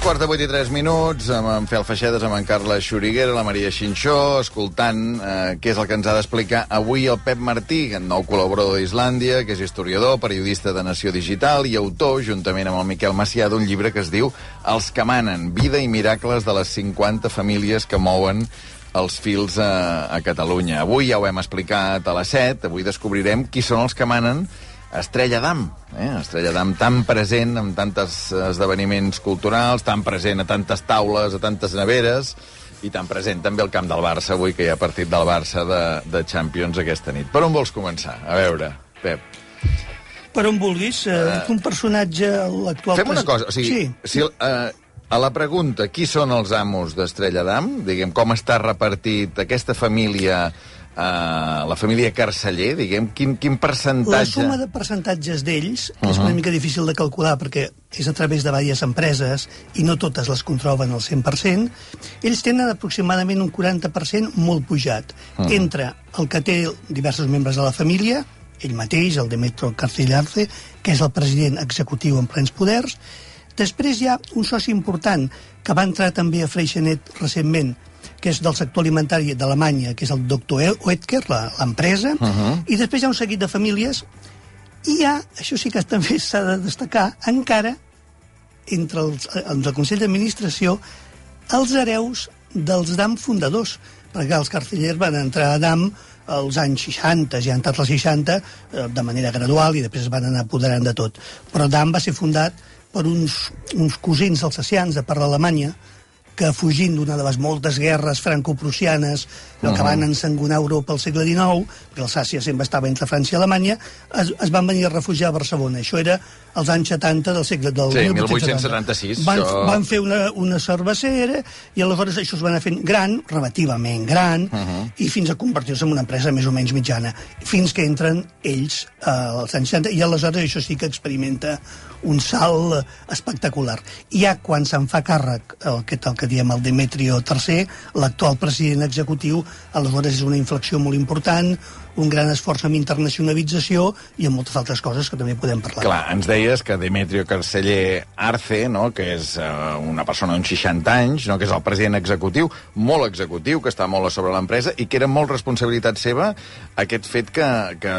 7:43, amb en Fel Feixedes, amb en Carles Xuriguera, la Maria Xinxó, escoltant què és el que ens ha d'explicar avui el Pep Martí, nou col·laborador d'Islàndia, que és historiador, periodista de Nació Digital i autor, juntament amb el Miquel Macià, d'un llibre que es diu Els que manen, vida i miracles de les 50 famílies que mouen els fils a Catalunya. Avui ja ho hem explicat a les 7, avui descobrirem qui són els que manen Estrella Damm, Estrella Damm tan present en tantes esdeveniments culturals, tan present a tantes taules, a tantes neveres, i tan present també al camp del Barça avui, que hi ha partit del Barça de Champions aquesta nit. Per on vols començar? A veure, Pep. Per on vulguis. Un personatge, l'actual... Fem una cosa, o sigui, sí. A la pregunta, qui són els amos d'Estrella Damm, diguem, com està repartit aquesta família... la família Carceller, diguem, quin percentatge... La suma de percentatges d'ells, que és una mica difícil de calcular perquè és a través de diverses empreses i no totes les controlen al 100%, ells tenen aproximadament un 40% molt pujat, entre el que té diversos membres de la família, ell mateix, el Demetrio Carceller Arce, que és el president executiu en plens poders. Després hi ha un soci important que va entrar també a Freixenet recentment, que és del sector alimentari d'Alemanya, que és el Dr. Oetker, l'empresa, i després hi ha un seguit de famílies, i hi ha, això sí que també s'ha de destacar, encara, entre el Consell d'Administració, els hereus dels Damm fundadors, perquè els Carceller van entrar a Damm als anys 60, ja han estat als 60, de manera gradual, i després es van anar apoderant de tot. Però Damm va ser fundat per uns cosins alsacians de part d'Alemanya, que fugint d'una de les moltes guerres franco-prussianes que van ensangonar Europa al segle XIX, perquè Alsàcia sempre estava entre França i Alemanya, es van venir a refugiar a Barcelona. Això era als anys 70 del segle del 1876. Van fer una cervesera i aleshores això es va anar fent gran, relativament gran, i fins a convertir-se en una empresa més o menys mitjana, fins que entren ells als anys 70, i aleshores això sí que experimenta un salt espectacular. I ja quan se'n fa càrrec el que diem el Demetrio III, l'actual president executiu, aleshores és una inflexió molt important, un gran esforç en internacionalització i en moltes altres coses que també podem parlar. Clar, ens deies que Demetrio Carceller Arce, no?, que és una persona d'uns 60 anys, no?, que és el president executiu, molt executiu, que està molt a sobre l'empresa, i que era molt responsabilitat seva aquest fet que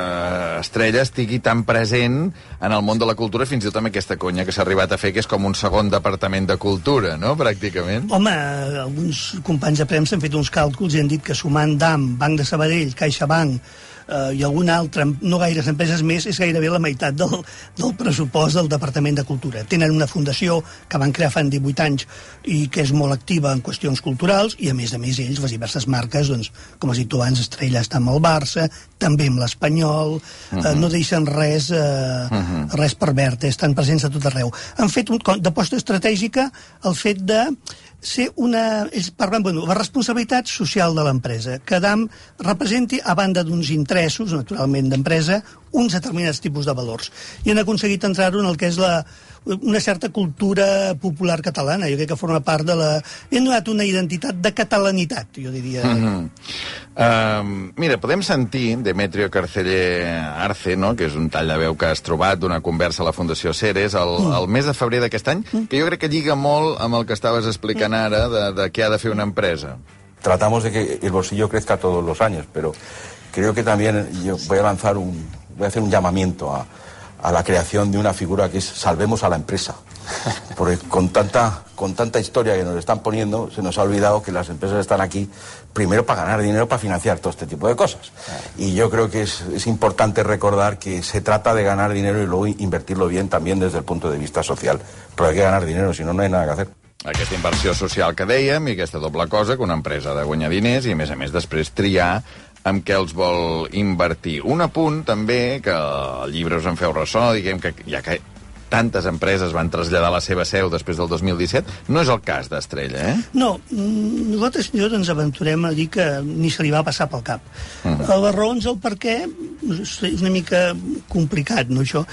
Estrella estigui tan present en el món de la cultura, fins i tot amb aquesta conya que s'ha arribat a fer, que és com un segon departament de cultura, no?, pràcticament. Home, alguns companys de premsa han fet uns càlculs i han dit que sumant Damm, Banc de Sabadell, CaixaBank, i alguna altra, no gaires empreses més, és gairebé la meitat del pressupost del Departament de Cultura. Tenen una fundació que van crear fa 18 anys i que és molt activa en qüestions culturals, i a més ells, les diverses marques, doncs, com has dit tu abans, Estrella està amb el Barça, també amb l'Espanyol, no deixen res per verd, estan presents a tot arreu. Han fet d'aposta estratègica el fet de ser ells parlen, la responsabilitat social de l'empresa, que Damm representi, a banda d'uns interessos, naturalment, d'empresa, uns determinats tipus de valors. I han aconseguit entrar-ho en el que és una certa cultura popular catalana. Jo crec que forma part de la... Li han donat una identitat de catalanitat, jo diria. Mira, podem sentir Demetrio Carceller Arce, no?, que és un tall de veu que has trobat d'una conversa a la Fundació Ceres el mes de febrer d'aquest any, que jo crec que lliga molt amb el que estaves explicant ara de què ha de fer una empresa. Tratamos de que el bolsillo crezca todos los años, pero creo que también yo voy a hacer un llamamiento a la creación de una figura que es salvemos a la empresa. Porque con tanta historia que nos están poniendo, se nos ha olvidado que las empresas están aquí primero para ganar dinero, para financiar todo este tipo de cosas. Y yo creo que es importante recordar que se trata de ganar dinero y luego invertirlo bien también desde el punto de vista social. Pero hay que ganar dinero, si no, no hay nada que hacer. Aquesta inversió social que dèiem i aquesta doble cosa, que una empresa ha de guanyar diners i, a més després, triar amb què els vol invertir. Un apunt, també, que al llibre us en feu ressò, diguem que ja que tantes empreses van traslladar la seva seu després del 2017, no és el cas d'Estrella, No, nosaltres ens aventurem a dir que ni se li va passar pel cap. Les raons del per què és una mica complicat, no, això?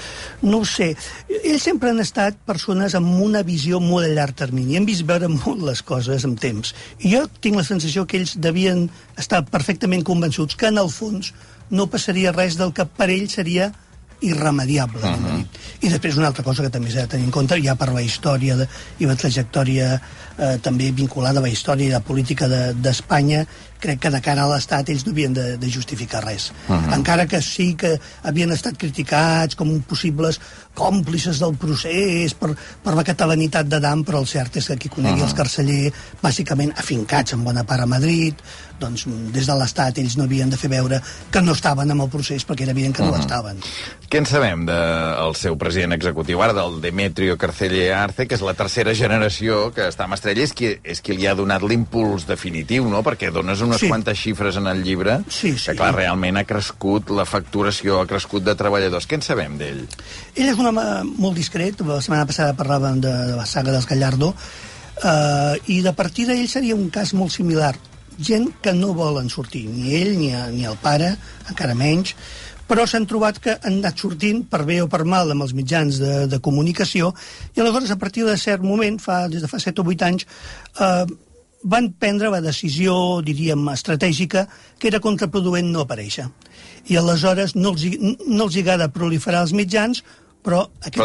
No ho sé. Ells sempre han estat persones amb una visió molt a llarg termini. Han vist veure molt les coses amb temps. I jo tinc la sensació que ells devien estar perfectament convençuts que, en el fons, no passaria res del que per ells seria irremediable. I després una altra cosa que també s'ha de tenir en compte, ja per la història i la trajectòria també vinculada a la història i la política d'Espanya, crec que de cara a l'Estat ells no havien de justificar res. Encara que sí que havien estat criticats com possibles còmplices del procés per la catalanitat d'Adam, però el cert és que qui conegui els Carceller, bàsicament afincats en bona part a Madrid, doncs des de l'Estat ells no havien de fer veure que no estaven en el procés perquè era evident que no l'estaven. Què en sabem del seu president executiu ara, del Demetrio Carceller Arce, que és la tercera generació que està amb Estrella, és qui li ha donat l'impuls definitiu, no? Perquè dones unes quantes xifres en el llibre que, clar, realment ha crescut la facturació, ha crescut de treballadors. Què en sabem d'ell? Ell és un home molt discret. La setmana passada parlàvem de la saga dels Gallardo, i de partir d'ell seria un cas molt similar. Gent que no volen sortir, ni ell ni el pare, encara menys, però s'han trobat que han anat sortint per bé o per mal amb els mitjans de comunicació, i aleshores a partir de cert moment, des de fa 7 o 8 anys, van prendre la decisió, diríem, estratègica, que era contraproduent no aparèixer. I aleshores no els agrada proliferar els mitjans, però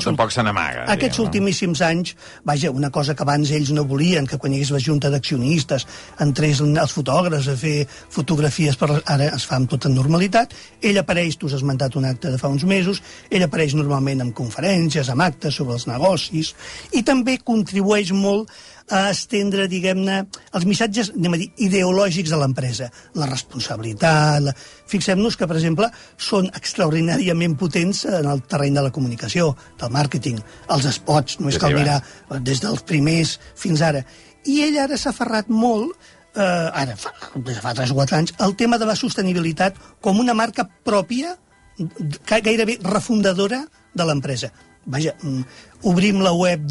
tampoc se n'amaga. Aquests ultimíssims anys, vaja, una cosa que abans ells no volien, que quan hi hagués la junta d'accionistes entrés els fotògrafs a fer fotografies, ara es fa amb tota normalitat. Ell apareix, tu has esmentat un acte de fa uns mesos, ell apareix normalment en conferències, en actes sobre els negocis, i també contribueix molt a estendre, diguem-ne, els missatges, anem a dir, ideològics de l'empresa. La responsabilitat... Fixem-nos que, per exemple, són extraordinàriament potents en el terreny de la comunicació, del màrqueting, els spots, només cal mirar des dels primers fins ara. I ell ara s'ha aferrat molt, des de fa 3 o 4 anys, el tema de la sostenibilitat com una marca pròpia, gairebé refundadora de l'empresa. Vaja, obrim la web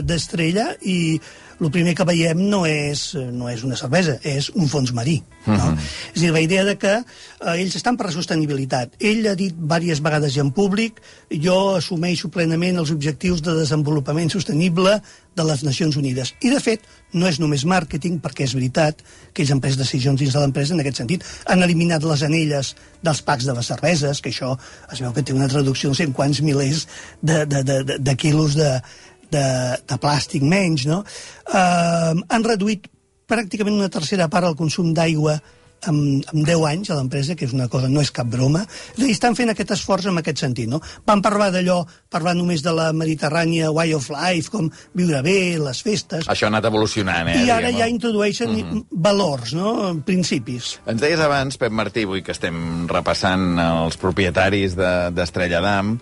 d'Estrella i el primer que veiem no és una cervesa, és un fons marí. No? És a dir, la idea de que ells estan per la sostenibilitat. Ell ha dit diverses vegades i en públic: jo assumeixo plenament els objectius de desenvolupament sostenible de les Nacions Unides. I, de fet, no és només màrqueting, perquè és veritat que ells han pres decisions dins de l'empresa en aquest sentit. Han eliminat les anelles dels packs de les cerveses, que això es veu que té una traducció de 100 quants milers de quilos de plàstic menys, no? Han reduït pràcticament una tercera part el consum d'aigua en 10 anys a l'empresa, que és una cosa, no és cap broma. És a dir, estan fent aquest esforç en aquest sentit, no? Van parlar només de la Mediterrània Way of Life, com viure bé, les festes... Això ha anat evolucionant, I ara ja introdueixen valors, no? Principis. Ens deies abans, Pep Martí, avui que estem repassant els propietaris d'Estrella Damm,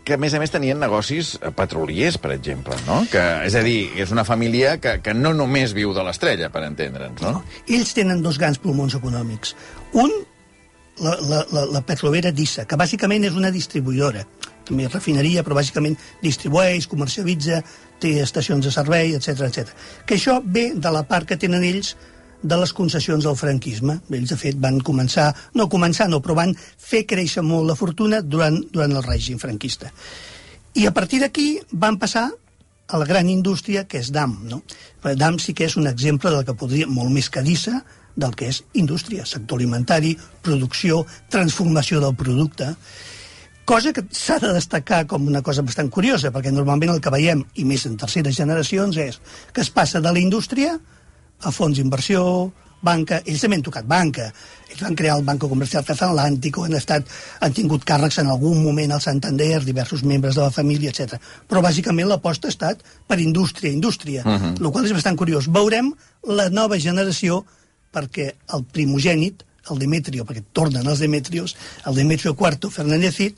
que, a més tenien negocis petroliers, per exemple, no? És a dir, és una família que no només viu de l'Estrella, per entendre'ns, no? Ells tenen 2 grans pulmons econòmics. Un, la petrolera d'Issa, que bàsicament és una distribuïdora. També refineria, però bàsicament distribueix, comercialitza, té estacions de servei, etc. Que això ve de la part que tenen ells de les concessions del franquisme. Ells, de fet, van però van fer créixer molt la fortuna durant el règim franquista. I a partir d'aquí van passar a la gran indústria, que és Damm, no? Damm sí que és un exemple del que podria, molt més que Dissa, del que és indústria, sector alimentari, producció, transformació del producte, cosa que s'ha de destacar com una cosa bastant curiosa, perquè normalment el que veiem, i més en terceres generacions, és que es passa de la indústria a fons d'inversió, banca. Ells també han tocat banca. Ells van crear el Banco Comercial Transatlántico, han tingut càrrecs en algun moment al Santander, diversos membres de la família, etc. Però bàsicament l'aposta ha estat per indústria, el qual és bastant curiós. Veurem la nova generació, perquè el primogènit, el Demetrio, perquè tornen els Demetrios, el Demetrio IV Fernández,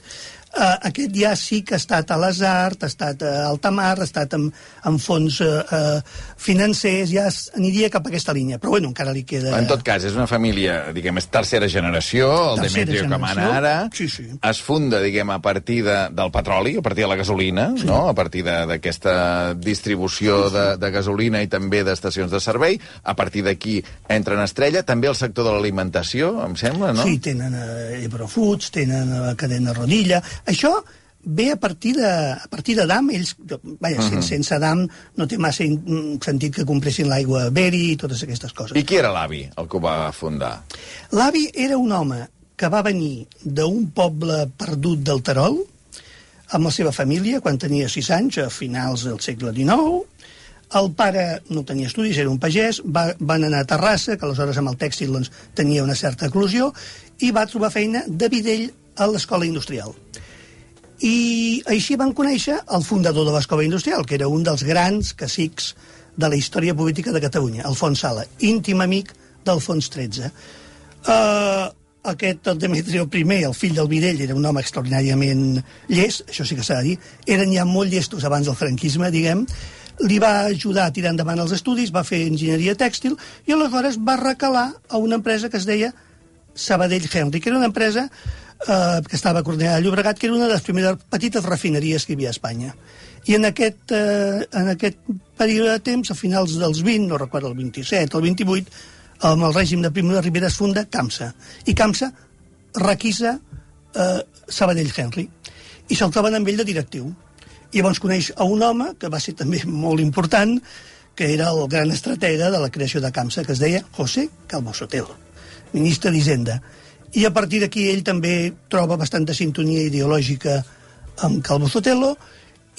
aquest ja sí que ha estat a les Arts, ha estat a Altamar, ha estat en fons financers, ja aniria cap a aquesta línia, però bueno, encara li queda... En tot cas, és una família, diguem, és tercera generació, el Demetrio que mana ara, es funda, diguem, a partir del petroli, a partir de la gasolina, no? A partir d'aquesta distribució de gasolina i també d'estacions de servei, a partir d'aquí entra en Estrella, també el sector de l'alimentació, em sembla, no? Sí, tenen Ebro Foods, tenen la cadena Rodilla. Això ve a partir de Damm. Ells, sense Damm no té massa sentit que compressin l'aigua Beri i totes aquestes coses. I qui era l'avi, el que ho va fundar? L'avi era un home que va venir d'un poble perdut del Terol, amb la seva família, quan tenia 6 anys, a finals del segle XIX. El pare no tenia estudis, era un pagès, van anar a Terrassa, que aleshores amb el tèxtil doncs, tenia una certa eclosió, i va trobar feina de bidell a l'escola industrial. I així van conèixer el fundador de l'escola industrial, que era un dels grans cacics de la història política de Catalunya, Alfons Sala, íntim amic d'Alfons XIII. Aquest, el Demetrio I, el fill del bidell, era un home extraordinàriament llest, això sí que s'ha de dir, eren ja molt llestos abans del franquisme, diguem, li va ajudar a tirar endavant els estudis, va fer enginyeria tèxtil, i aleshores va recalar a una empresa que es deia Sabadell Henry, que era una empresa que estava a Cornellà de Llobregat, que era una de les primeres petites refineries que hi havia a Espanya. I en aquest període de temps, a finals dels 20, no recordo, el 27 o el 28, amb el règim de Primo de Rivera es funda CAMSA. I CAMSA requisa Sabadell Henry. I se'l troben amb ell de directiu. I llavors coneix a un home, que va ser també molt important, que era el gran estratega de la creació de CAMSA, que es deia José Calvo Sotelo, ministre d'Hisenda. I a partir d'aquí ell també troba bastanta sintonia ideològica amb Calvo Sotelo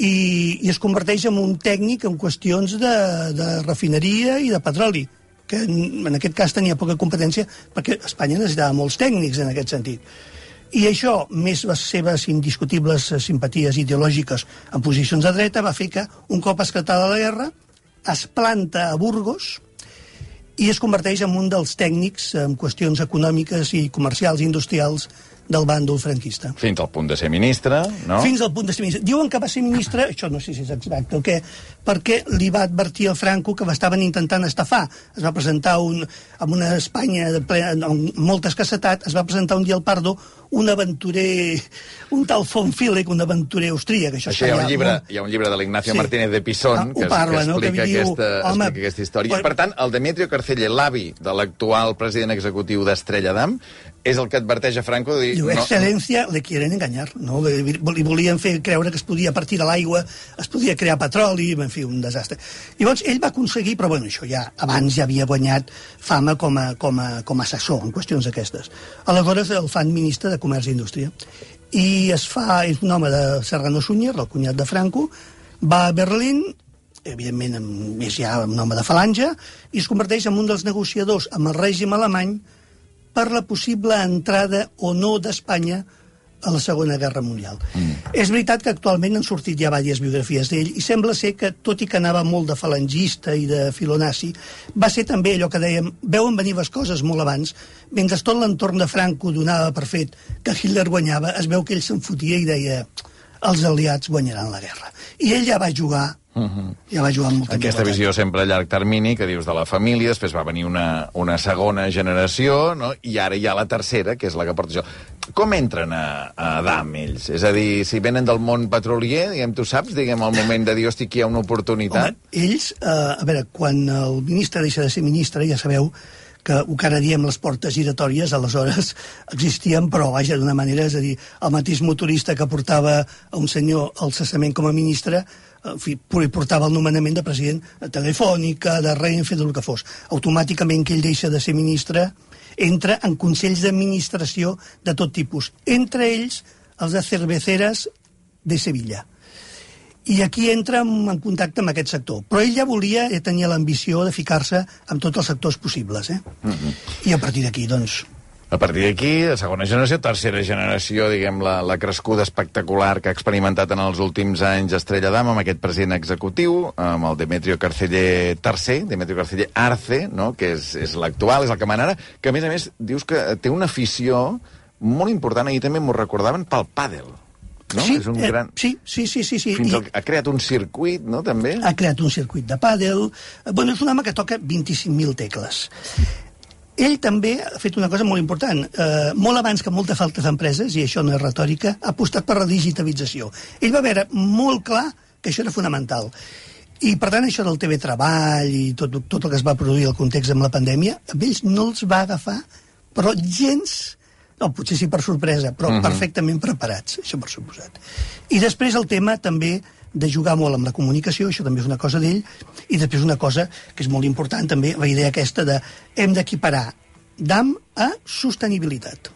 i es converteix en un tècnic en qüestions de refineria i de petroli, que en aquest cas tenia poca competència perquè Espanya necessitava molts tècnics en aquest sentit. I això, més les seves indiscutibles simpaties ideològiques en posicions de dreta, va fer que, un cop esclatada la guerra, es planta a Burgos i es converteix en un dels tècnics en qüestions econòmiques i comercials i industrials del bàndol franquista. Fins al punt de ser ministre, no? Fins al punt de ser ministre. Diuen que va ser ministre, això no sé si és exacte o què, perquè li va advertir al Franco que estaven intentant estafar. Es va presentar amb una Espanya amb molta escassetat, es va presentar un dia al Pardo un aventurer, un tal von Filek, un aventurer austríac. Això hi ha un llibre de l'Ignacio Martínez de Pisón que explica aquesta història. Per tant, el Demetrio Carceller, l'avi de l'actual president executiu d'Estrella Damm, és el que adverteix a Franco de dir... Diu, excel·lència, le quieren engañar, no? Li volien fer creure que es podia, a partir de l'aigua, es podia crear petroli, en fi, un desastre. Llavors, ell va aconseguir, però bueno, això ja, abans ja havia guanyat fama com a assessor en qüestions aquestes. Aleshores el fan ministre de Comerç i Indústria. I és un home de Serrano Suñer, el cunyat de Franco, va a Berlín, evidentment és ja un home de falange, i es converteix en un dels negociadors amb el règim alemany per la possible entrada o no d'Espanya a la Segona Guerra Mundial. És veritat que actualment han sortit ja diverses biografies d'ell i sembla ser que, tot i que anava molt de falangista i de filonazi, va ser també allò que dèiem, veuen venir les coses molt abans, mentre tot l'entorn de Franco donava per fet que Hitler guanyava, es veu que ell se'n fotia i deia els aliats guanyaran la guerra. I ell ja va jugar ja va jugar amb molta aquesta visió sempre a llarg termini, que dius de la família, després va venir una segona generació, no? I ara hi ha la tercera, que és la que porta això. Com entren a Damm, ells? És a dir, si venen del món petrolier, diguem, tu saps, diguem, al moment de dir, hosti, aquí hi ha una oportunitat? Home, ells, a veure, quan el ministre deixa de ser ministre, ja sabeu que ho que ara diem les portes giratòries, aleshores existien, però vaja, d'una manera, és a dir, el mateix motorista que portava a un senyor al cessament com a ministre, en fi, portava el nomenament de president de Telefònica, de Renfe, del que fos. Automàticament que ell deixa de ser ministre, entra en consells d'administració de tot tipus. Entre ells, els de Cerveceras de Sevilla. I aquí entra en contacte amb aquest sector. Però ell ja tenia l'ambició de ficar-se amb tots els sectors possibles. I a partir d'aquí, doncs... A partir d'aquí, segona generació, tercera generació, diguem, la crescuda espectacular que ha experimentat en els últims anys Estrella Damm amb aquest president executiu, amb el Demetrio Carceller III, Demetrio Carceller Arce, no? Que és l'actual, és el que mana ara, que a més dius que té una afició molt important, ahir també m'ho recordaven, pel pàdel. No? Sí, és un gran... sí. Ha creat un circuit, no?, també? Ha creat un circuit de pàdel. Bueno, és un home que toca 25.000 tecles. Ell també ha fet una cosa molt important. Molt abans que moltes altres empreses, i això no és retòrica, ha apostat per la digitalització. Ell va veure molt clar que això era fonamental. I, per tant, això del TV-Treball i tot el que es va produir al context amb la pandèmia, a ells no els va agafar, però gens... No, potser sí per sorpresa, però perfectament preparats, això per suposat. I després el tema també de jugar molt amb la comunicació, això també és una cosa d'ell, i després una cosa que és molt important també, la idea aquesta de hem d'equiparar Damm a sostenibilitat.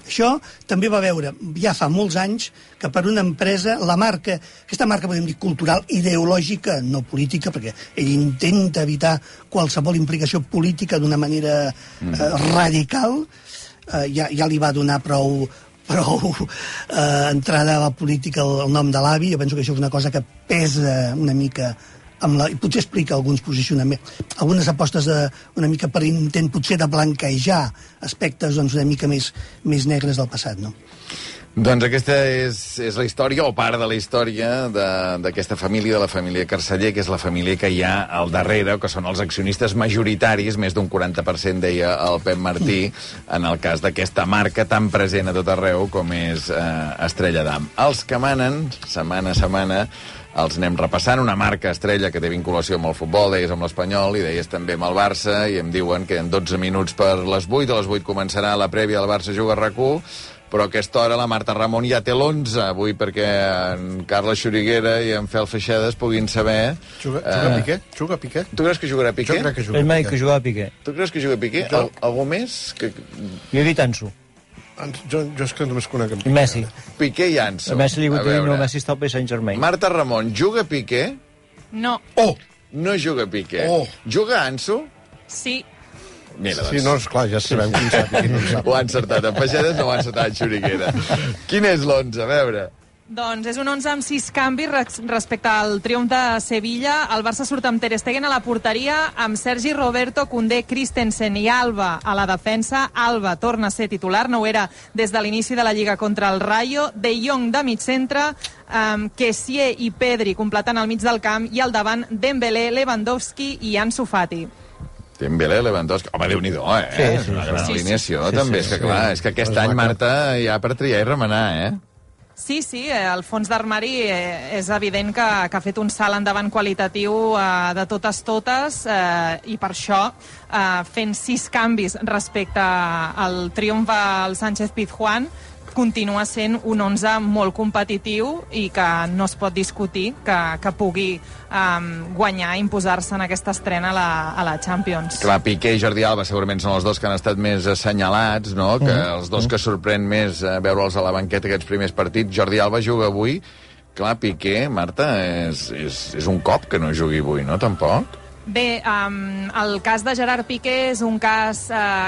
Això també va veure, ja fa molts anys, que per una empresa, la marca, aquesta marca, podem dir, cultural, ideològica, no política, perquè ell intenta evitar qualsevol implicació política d'una manera radical, ja li va donar prou entrada a la política el nom de l'avi. Jo penso que això és una cosa que pesa una mica i potser explica alguns posicionaments, algunes apostes una mica per intent potser de blanquejar aspectes doncs, una mica més negres del passat, no? Doncs aquesta és la història, o part de la història, d'aquesta família, de la família Carceller, que és la família que hi ha al darrere, que són els accionistes majoritaris, més d'un 40%, deia el Pep Martí, en el cas d'aquesta marca tan present a tot arreu com és Estrella Damm. Els que manen, setmana a setmana, els anem repassant. Una marca estrella que té vinculació amb el futbol, deies amb l'Espanyol i deies també amb el Barça, i em diuen que en 12 minuts per les 8, a les 8 començarà la prèvia del Barça Juga a RAC1, però a aquesta hora la Marta Ramon ja té l'11 avui perquè en Carles Xuriguera i en Fel Feixedes puguin saber... Juga Piqué? Juga Piqué? Tu creus que jugarà Piqué? Jo crec que juga Ell m'ha dit que jugava Piqué. Tu creus que juga Piqué? Algú més? Jo he dit Ansu. Jo és que només conec en I Messi. Piqué i Ansu. A Messi li vull dir, no, Messi està al PSG Saint-Germain. Marta Ramon, juga Piqué? No. Oh! No juga Piqué. Oh! Juga Ansu? Sí. Mira, doncs. Sí, no, esclar, ja sabem qui sap i qui no sap. Ho ha encertat en Feixedes, no ho ha encertat en Xuriguera. Quin és l'11? A veure... Doncs és un 11 amb 6 canvis respecte al triomf de Sevilla. El Barça surt amb Ter Stegen a la porteria, amb Sergi Roberto, Koundé, Christensen i Alba a la defensa. Alba torna a ser titular, no ho era des de l'inici de la Lliga contra el Rayo. De Jong de mig centre, Kessié i Pedri completant al mig del camp, i al davant Dembélé, Lewandowski i Ansu Fati. Dembélé, Lewandowski... Home, Déu-n'hi-do, Sí. Una gran alineació, també. És que, clar, és que aquest any, Marta, hi ha per triar i remenar, Sí, el fons d'armari és evident que ha fet un salt endavant qualitatiu de totes, i per això, fent 6 canvis respecte al triomf al Sánchez Pizjuán, continua sent un 11 molt competitiu i que no es pot discutir que pugui guanyar i imposar-se en aquesta estrena a la Champions. Clar, Piqué i Jordi Alba segurament són els dos que han estat més assenyalats, no? Que els dos que sorprèn més veure'ls a la banqueta aquests primers partits. Jordi Alba juga avui. Clar, Piqué, Marta, és un cop que no jugui avui, no? Tampoc? Bé, el cas de Gerard Piqué és un cas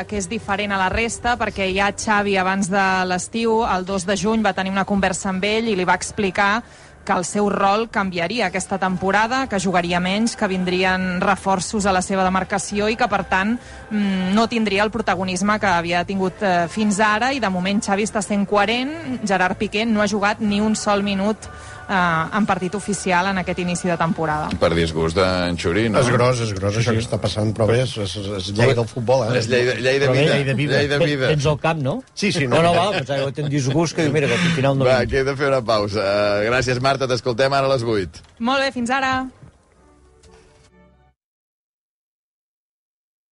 que és diferent a la resta, perquè ja Xavi abans de l'estiu, el 2 de juny, va tenir una conversa amb ell i li va explicar que el seu rol canviaria aquesta temporada, que jugaria menys, que vindrien reforços a la seva demarcació i que, per tant, no tindria el protagonisme que havia tingut fins ara, i de moment Xavi està sent coherent. Gerard Piqué no ha jugat ni un sol minut en partit oficial en aquest inici de temporada. Per disgust d'en Xuri, no? És gros, això que està passant, però bé, és llei del futbol, És llei de vida. Tens el camp, no? Sí, No, va, pensava que tens disgust, que diu, mira, que al final no... Va, que he de fer una pausa. Gràcies, Marta, t'escoltem ara a les 8. Molt bé, fins ara.